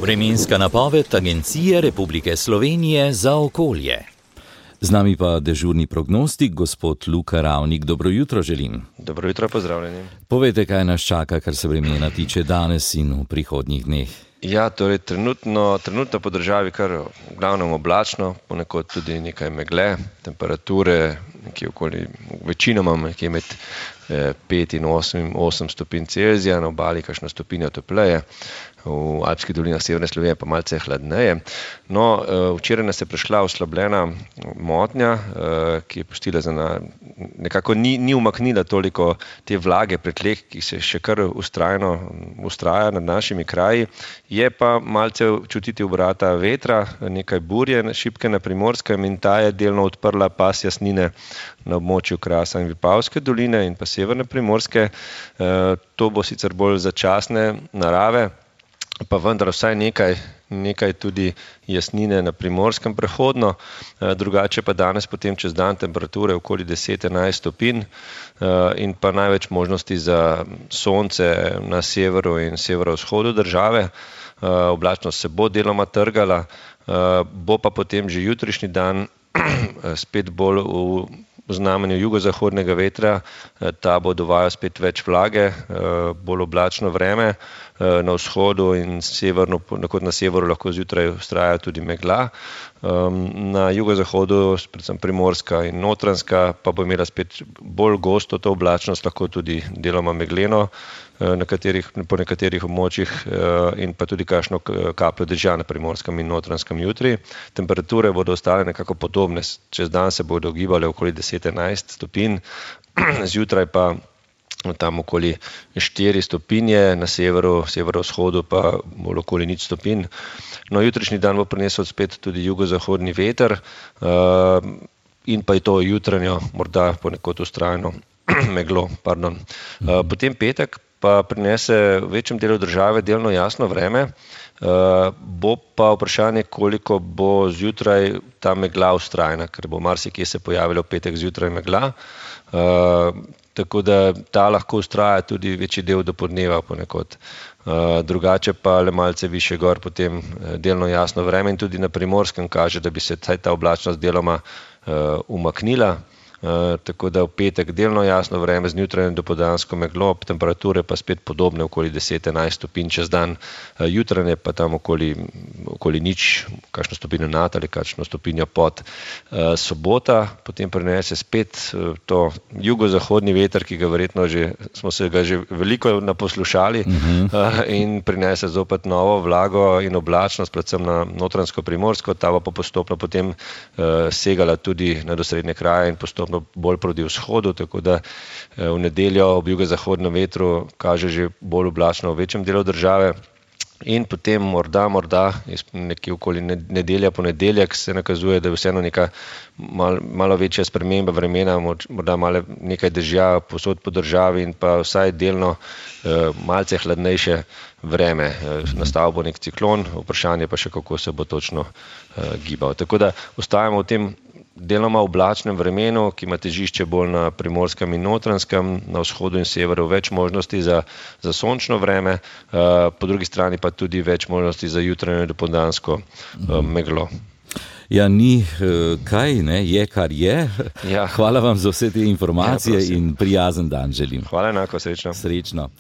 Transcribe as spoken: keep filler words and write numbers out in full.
Vremenska napoved Agencije Republike Slovenije za okolje. Z nami pa dežurni prognostik, gospod Luka Ravnik. Dobro jutro želim. Dobro jutro, pozdravljeni. Povejte, kaj nas čaka, kar se vremena tiče danes in v prihodnjih dneh. Ja, torej trenutno, trenutno po državi kar v glavnem oblačno, ponekod tudi nekaj megle, temperature nekje okoli, večinoma nekje med pet in osem stopinj Celzija, na obali kakšno stopinjo topleje, v alpskih dolinah severne Slovenije pa malce hladneje. No, včeraj nas je prišla oslabljena motnja, ki je pustila za na, nekako ni, ni umaknila toliko te vlage pri tleh, ki se še kar ustrajno ustraja nad našimi kraji. Je pa malce čutiti obrata vetra, nekaj burje šibke na Primorskem in ta je delno odprla pas jasnine na območju Krasa in Vipavske doline in pa severne Primorske. To bo sicer bolj začasne narave, pa vendar vsaj nekaj, nekaj tudi jasnine na Primorskem prehodno, drugače pa danes potem čez dan temperature okoli deset do enajst stopinj in pa največ možnosti za sonce na severu in severovzhodu države. Oblačnost se bo deloma trgala, bo pa potem že jutrišnji dan spet bolj v znamenju jugozahodnega vetra, ta bo dovajal spet več vlage, bolj oblačno vreme, na vzhodu in severno, kot na severu lahko zjutraj vztraja tudi megla. Na jugozahodu, predvsem Primorska in Notranjska, pa bo imela spet bolj gosto to oblačnost, lahko tudi deloma megleno na katerih, po nekaterih območjih in pa tudi kakšno kapljo dežja na Primorskem in Notranjskem jutri. Temperature bodo ostale nekako podobne, čez dan se bodo gibale okoli deset do enajst stopinj, zjutraj pa tam okoli štiri stopinje, na severu, severovzhodu pa bolj okoli nič stopinj. No, jutrišnji dan bo prinesel spet tudi jugozahodni veter in pa je to jutranjo, morda ponekod vztrajno meglo, pardon. Potem petek pa prinese v večjem delu države delno jasno vreme, bo pa vprašanje, koliko bo zjutraj ta megla vztrajna, ker bo marsikje se pojavilo petek zjutraj megla, tako da ta lahko vztraja tudi večji del do podneva ponekod. Drugače pa le malce više gor potem delno jasno vreme in tudi na Primorskem kaže, da bi se ta oblačnost deloma umaknila. Uh, tako da v petek delno jasno vreme z jutranjo dopoldansko meglo, temperature pa spet podobne, okoli deset do enajst stopinj čez dan, uh, jutranje pa tam okoli, okoli nič, kakšno stopinjo nad ali kakšno stopinjo pod. Uh, sobota potem prinese spet uh, to jugozahodni veter, ki ga verjetno že, smo se ga že veliko naposlušali, uh-huh. uh, in prinese zopet novo vlago in oblačnost, predvsem na Notranjsko-Primorsko, ta bo pa postopno potem uh, segala tudi na osrednje kraje in postopno bolj proti vzhodu, tako da v nedeljo ob jugozahodnem vetru kaže že bolj oblačno v večjem delu države. In potem morda, morda nekje okoli nedelja, ponedeljek se nakazuje, da je vseeno neka mal, malo večja sprememba vremena, morda malo nekaj dežja posod po državi in pa vsaj delno eh, malce hladnejše vreme. Nastal bo nek ciklon, vprašanje pa še, kako se bo točno eh, gibal. Tako da ostajamo v tem deloma oblačnem vremenu, ki ima težišče bolj na Primorskem in Notranjskem, na vzhodu in severu več možnosti za, za sončno vreme, po drugi strani pa tudi več možnosti za jutranjo in dopoldansko meglo. Ja, ni kaj, ne, je kar je. Ja. Hvala vam za vse te informacije ja, in prijazen dan želim. Hvala enako, srečno. Srečno.